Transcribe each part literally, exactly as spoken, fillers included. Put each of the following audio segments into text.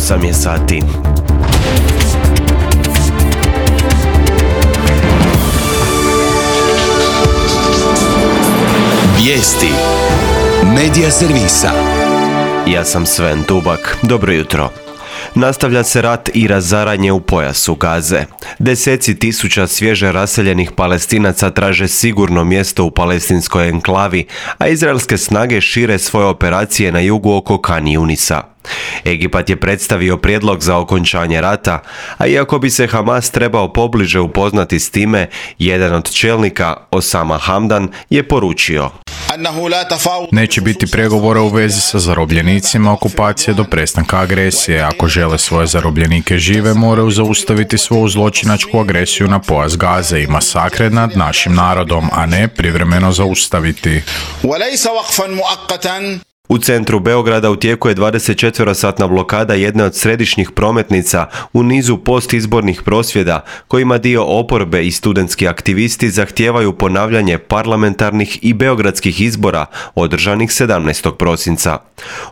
osam je sati. Vijesti Medija servisa. Ja sam Sven Tubak. Dobro jutro. Nastavlja se rat i razaranje u pojasu Gaze. Deseci tisuća svježe raseljenih Palestinaca traže sigurno mjesto u palestinskoj enklavi, a izraelske snage šire svoje operacije na jugu oko Kan Junisa. Egipat je predstavio prijedlog za okončanje rata, a iako bi se Hamas trebao pobliže upoznati s time, jedan od čelnika, Osama Hamdan, je poručio: Neće biti pregovora u vezi sa zarobljenicima okupacije do prestanka agresije. Ako žele svoje zarobljenike žive, moraju zaustaviti svoju zločinačku agresiju na pojas Gaze i masakre nad našim narodom, a ne privremeno zaustaviti. U centru Beograda u tijeku je dvadesetčetverosatna blokada jedne od središnjih prometnica u nizu postizbornih prosvjeda kojima dio oporbe i studentski aktivisti zahtijevaju ponavljanje parlamentarnih i beogradskih izbora održanih sedamnaestog prosinca.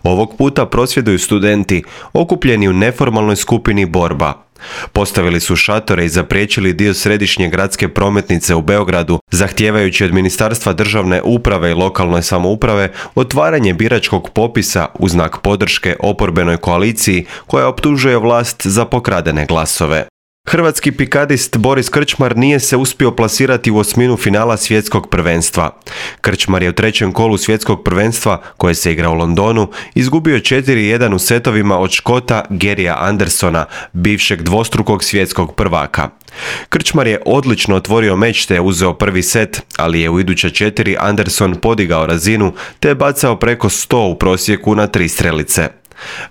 Ovog puta prosvjeduju studenti okupljeni u neformalnoj skupini Borba. Postavili su šatore i zapriječili dio središnje gradske prometnice u Beogradu, zahtijevajući od Ministarstva državne uprave i lokalne samouprave otvaranje biračkog popisa u znak podrške oporbenoj koaliciji koja optužuje vlast za pokradene glasove. Hrvatski pikadist Boris Krčmar nije se uspio plasirati u osminu finala svjetskog prvenstva. Krčmar je u trećem kolu svjetskog prvenstva, koje se igra u Londonu, izgubio četiri jedan u setovima od Škota Garyja Andersona, bivšeg dvostrukog svjetskog prvaka. Krčmar je odlično otvorio meč te je uzeo prvi set, ali je u iduća četiri Anderson podigao razinu te je bacao preko sto u prosjeku na tri strelice.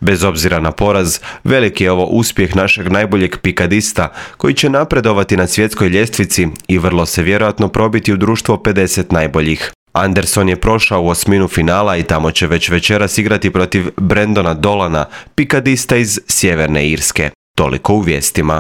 Bez obzira na poraz, veliki je ovo uspjeh našeg najboljeg pikadista koji će napredovati na svjetskoj ljestvici i vrlo se vjerojatno probiti u društvo pedeset najboljih. Anderson je prošao u osminu finala i tamo će već večeras igrati protiv Brendona Dolana, pikadista iz Sjeverne Irske. Toliko u vijestima.